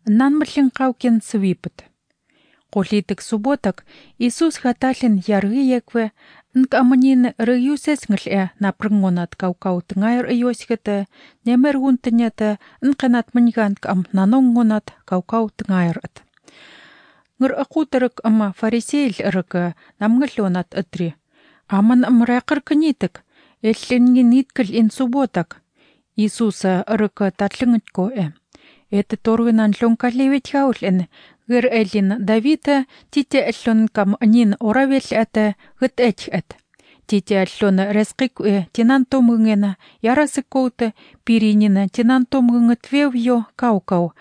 Нанмлин қаукен свипет. Қолитик суботак Иисус хаталин яргиекве нкаманин рыюсеснгл напрынгонат каукаутыңайр иосикete немергунтынята нканат маньгант ам нанонгонат каукаутыңайрат. Ngır aqutarık ama fariseyl ırık namgıllonat ıtri. Aman amraqır kınitik. Ellengi nitkil in subotak. Иисуса ырык татлынгытко Эти торгынан лонкалевет хаулен. Гыр элин Давида тите эллон кам нин оравел ата гыт эт. Тите эллон рескик тинантомгына ярасыкоуты пиринина тинантомгыңытвевьё каукау.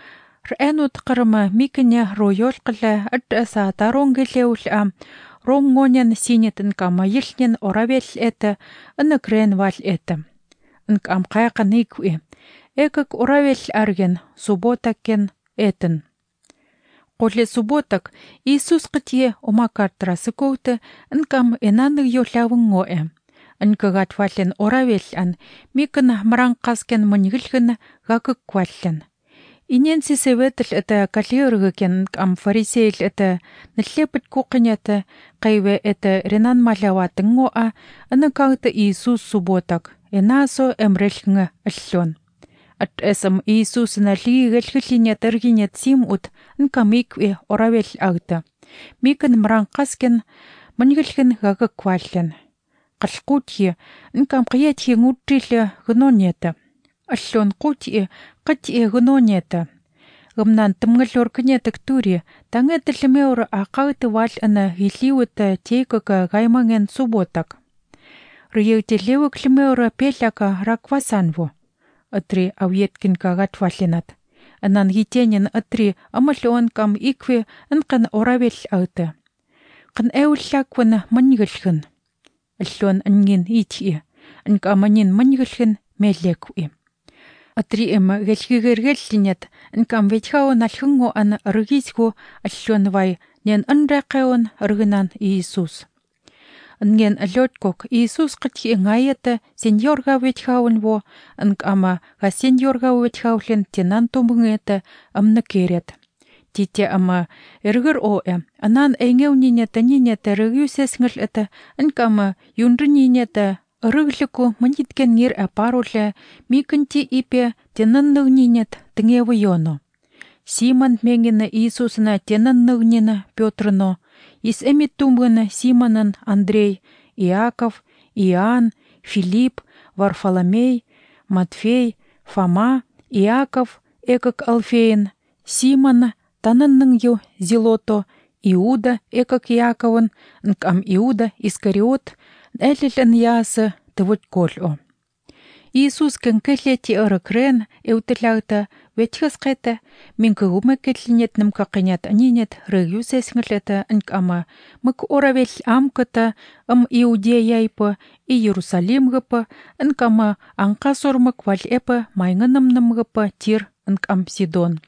Рэнут кырма микне роёл кылы ыртаса таронгелеул ронгонен синетин кама йылнен оравел эте ыныкрен вал эте. Нкам кайканикуи. Экак оравел арген суботакен этен. Қоле суботак Иисус қытие омакартрасы коуты нкам энаны йолавыңо Нкагат вален оравел микын маранқаскен мыньгылгын гакык кваллен. Инен сисеветл это калиыргыкен нкам фарисейл это нлепыт кукынята кайве это ренан маляватыңо нкагты Иисус суботак энасо эмрелгңы аллон. Эсэм Иисус налигэлгэлиня тергинет симут нкамикве оравел агта. Микын мранқаскен мыньгылгын гагык кваллен. Қалқутье нкам қиятье ngутриле гнонета. Аллон қутье қытье гнонета. Гымнан тымгылор кынетык тури таңетылмеур ақагты вал хиливыта тейкыка гайманген суботак. Рыйытелеу климеур пеляка раквасанву. Атри авьеткин кагат валинат. Анан хитенин атри амалуан кам икве нкан оравел агты. Кын эуллаквын мыньгылгын. Аллон ангин итье. Нкаманин мыньгылгын мелекуи. Атри гэлгигэргэллинет нкам ветхаун алхынго рыгисгу аллон вай нен анракеон рыгынан Иисус. Нген лёткок Иисус қытье ңайета сеньорга ветхаун во нкама га сеньорга ветхаулен тенантомгыта амны керет. Тите ама эргыр анан эйнгеунинета нинета рыгюсеснгл это нкама юндрынинета рыглыку мыниткен гер апаруле микынти ипе тенанныгнинет тыңевы йоно. Симон меңгені Иисусына тенанныгнина Пётрно, ис эмиттумгыны Симонын Андрей, Иаков, Иоанн, Филипп, Варфоломей, Матфей, Фома, Иаков, экак Алфейн, Симон, танынның Зилото, Иуда, экак Яковын, нкам Иуда, Искариот, эллен ясы тывыт коль Иисус кенкелети ырыкрен эутылягта ветхас кайта минкыгуме кетлинетнем какынят анинет рыгюсеснглета нкама мык оравел амката Иудеяйпы и Иерусалимгыпы нкама анка сормык валь эпы майнгынымнымгыпы Тир нкам Сидон.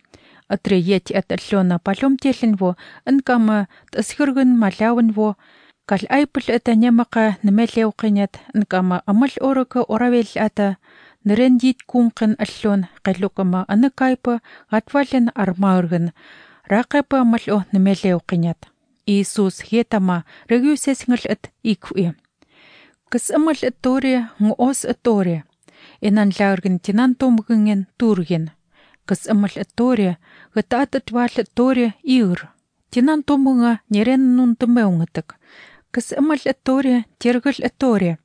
Атреет аталлона палом теленво нкама тасхыргын малявынво Кал айпыл это немака немелеу кынет нкама амал орыка оравел ата нерендит кункын аллон кайлукама аныкайпы гатвален армааргын ракайпы амал немелеу кынет. Иисус хетама регюсеснгл эт икуи. Кыс амал эттори ngos эттори. Энан лааргын тинантомгынген турген. Кыс амал эттори гататат вал эттори ир. Тинантомгынга нерен нунтымеунгытык. Кыс амал эттори тергыл эттори.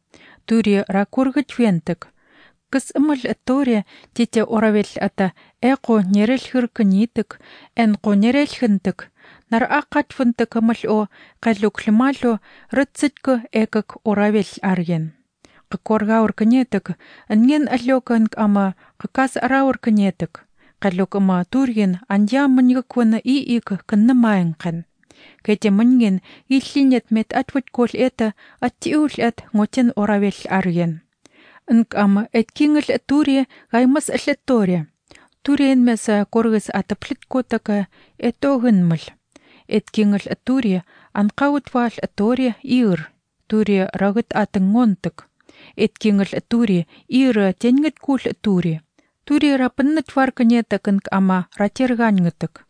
Тури ракургыт вентык. Кыс амал эттори тите оравел ата эко нерелхыр кынитык, энко нерелхынтык. Нар акатфынтык амал калюклималу рыцыткы экак оравел арген. Кыкоргаур кынетык, нген алёкан ама кыкас араур кынетык. Калюкама турген андя мыньгыквыны ик кыннымайынкын. Кете мынген иллинет мет атвыт кол это аттиул эт ngотен оравел арген. Нкама эткингл тури гаймас элеттори. Турен меса коргыс атыплит котака этогынмыл. Эткингл тури анкаут вал тори ир. Тури рагыт атынгонтык. Эткингл тури ир тенгет кул тури. Тури рапыннат варканетак инк ама ратерганьгатак.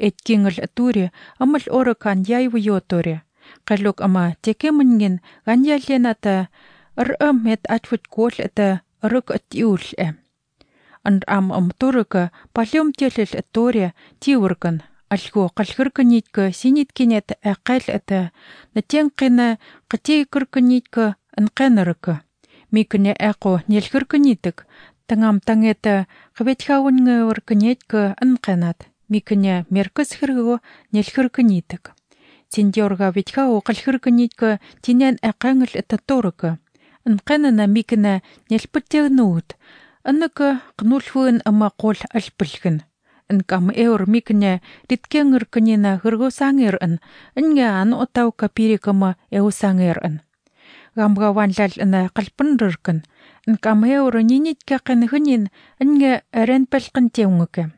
Эткингл тури амал оракан яйву йотори. Қалук ама текемнген ганьялената мет атвут кол это рык атиулэ. Ам турыка палем телэл тори тиуркан. Алху қалхырканитка синиткенет ақал это натенқина қатейкырканитка анқанарыка. Микне ақо нелхырканитак тангам тангета қаветхаунгаварканетка анқанат. Микне меркас хырго нелхырканитак. Тиндерга ветхау қалхырканитка тинен ақангл это торыка. Анқанана микне нелпаттегнуут. Аннака қнулфуын ама қол алпылгын. Инкам микне риткенгырканина гыргосангерын. Инге отау капирикама эусангерын. Гамгаванлал ана қалпынрыркын. Инкам нинитке қанғынин инге ренпелқын теунгіке.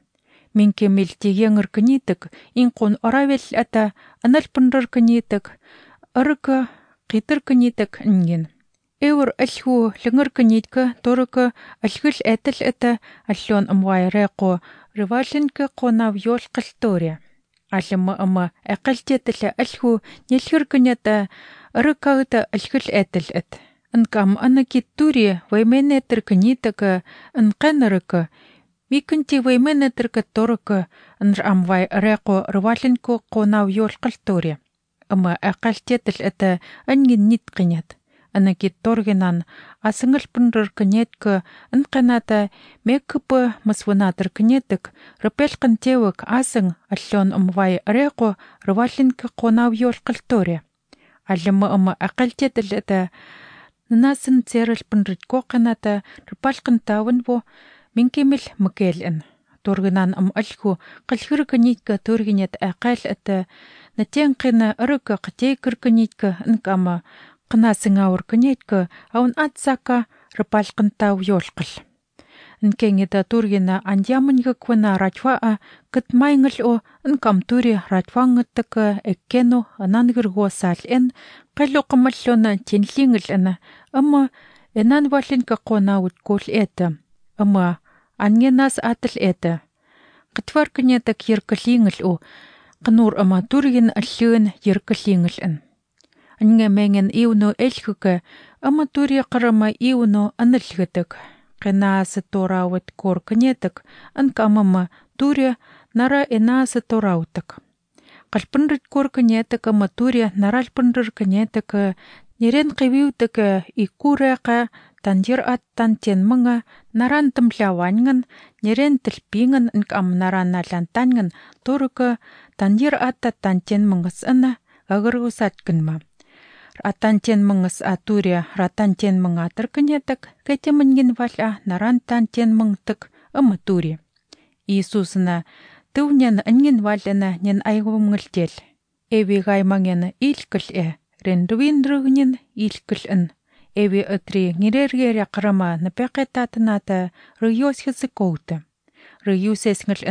Минке мелтегенгырканитік инқон оравел ата аналпынрырканитік ырыка қитырканитік инген. Алху лынгырканитка торыка алхыл этл ата аллон амвайреқо рывалинка қонав йол қылтория. Аллама ама ақалтетілі алху нелхырканета ырыкағыта алхыл этл эт. Инкам анакит тури вайменетірканитіка инқанырыка Микінти вайменетірка торыка инр амвай реқо рывалинка қонав йол қылтория. Ама ақалтетіл ата анген нитканет. Анакит торгенан асыңыл пынрырканетка инқаната меккіпі мысвынатырканетік рыпелқын теуік асың аллон амвай реқо рывалинка қонав йол қылтория. Аллама ама ақалтетіл ата насын церыл пынрыт коқаната рыпалқын тавынво минкемил мыкелін. Торгенан алху қалхырканитка торгенет ақал ата натенқина ырыка қатейкырканитка инкама қынасыңауырканетка аун атсака рыпалқын тау йолқыл. Инкеңеда тургена андямынға квана ратваа кытмайнгыл о инкам тури ратваңыттыка эккену анангырго сал қалуқымаллона тенлингыл ана ама энан валинка қонауыт кол эта. Ама ангенас атыл эта. Қытварканетак еркалингыл о қынур ама турген аллыын еркалингыл ан. Анге менген иуну эльхука ама тури қарама иуну анылгытык. Қинасы торауыт корканетык анкамама тури нара энасы тораутык. Қалпынрыт корканетык ама тури наральпынрырканетык нерен қивиутык икуреқа тандир аттан тенмыңа наран тымляваньгын нерен тілпиңін анкам нарана лантаньгын торыка тандир аттан тенмыңыз ана агыргусаткынма. Ратантен мыңыз атурия, ратантен мың атырканетік, кәтемінген валя нарантантен мыңтық ымы тури. Иисусына төвнен анген валяна нен айғымғылтел. Эви гаймаңені илкіл рендуин рүгінен илкіл Эви үтри нерергере қырыма напеқетатыната рүйосхізі коуты. Рүйосесңіл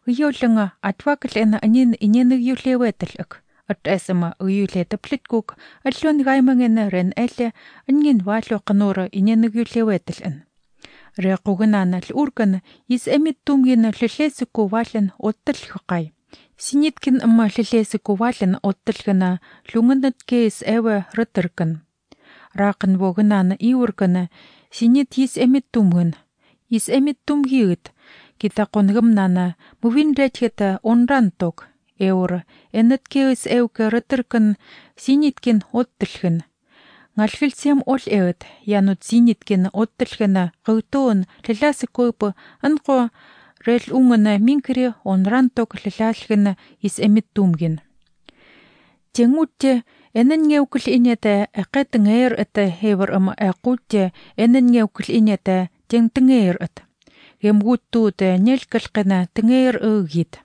үйолыңа атвакіл анен инені юлеветілік. Атасама уюлета плиткук аллон гаймангена рен эле анген валу қанура инені юлеветілін. Реқугынана урган ис эмит тумгена лилесі кувалын оттыл хықай. Синиткин ама лилесі кувалын оттылгына луңынат кейс эве рытыркын. Рақын вогынана иургана синит ис эмит тумгын. Ис эмит тумгиыт. Кита қонгымнана мувин ретхета онран ток. Эур энеткеис эуке рытыркын синиткин оттылгын. Нгалхилсем ол эвет янут синиткин оттылгына гыйтуун лиласы көпі анқо рел уңына минкіре онран ток лилалгына ис эмит тумгин. Теңутте эненгеукіл инеті әқетіңер әті хевір ама әқутте эненгеукіл инеті теңтіңер әт. Емгуттуыты нелкілкіна тіңер үгід.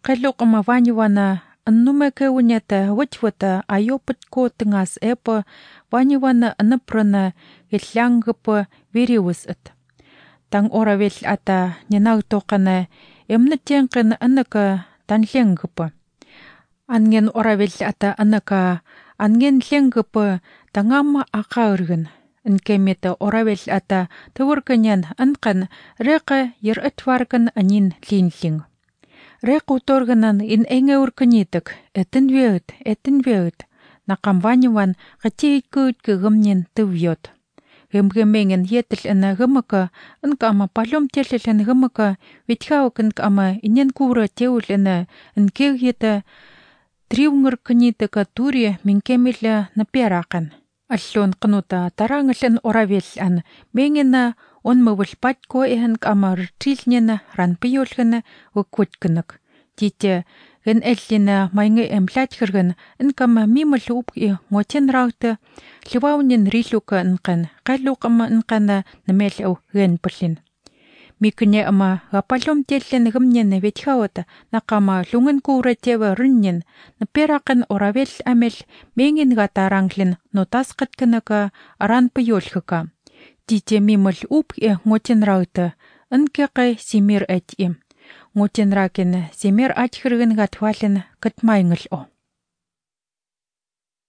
Қалуқыма ванивана аннумеке унета ватьвата айопыт котыңас эпа ванивана анапрана геллянгыпы вериус эт. Таң оравел ата ненаг тоқана эмнетенқин анака танленгыпы. Анген оравел ата анака анген ленгыпы таңама ақа ыргын. Nkemete oravel ata tawarkanyan ankan reka yer atwarkan anin linling. Rekutorganan in engeurkanitak etin veut nakamvanyawan kachikut kagamnyan tuvyot. Gemgemengen yetel ana gamaka ankama palom telel ana gamaka vithawakan kama inyan kura teul ana nkegyeta triungerkanitaka turia minkemila napiarakan. Allon qanuta tarangalan oravel an mengena on mawalpat ko ehan kama rtilnyana ranpiyolgana wakwatkanak. Tite gen ellina mainge emplatkirgan nkama mimalup ngochen rauta liwawnin riluka nkan qalluqama nkana namelaw gen pallin. Miknya ama gapalom tellen gamnyan vethawata nakama lungan kura tewa rinyan naperakan oravel amel mengin gataranglin notasqatkanaka aranpiyolgaka. Tite mimal up ngochen rauta nkaqay simir atim. Ngochen raken simir atkhirgan gatwalin katmayngal o.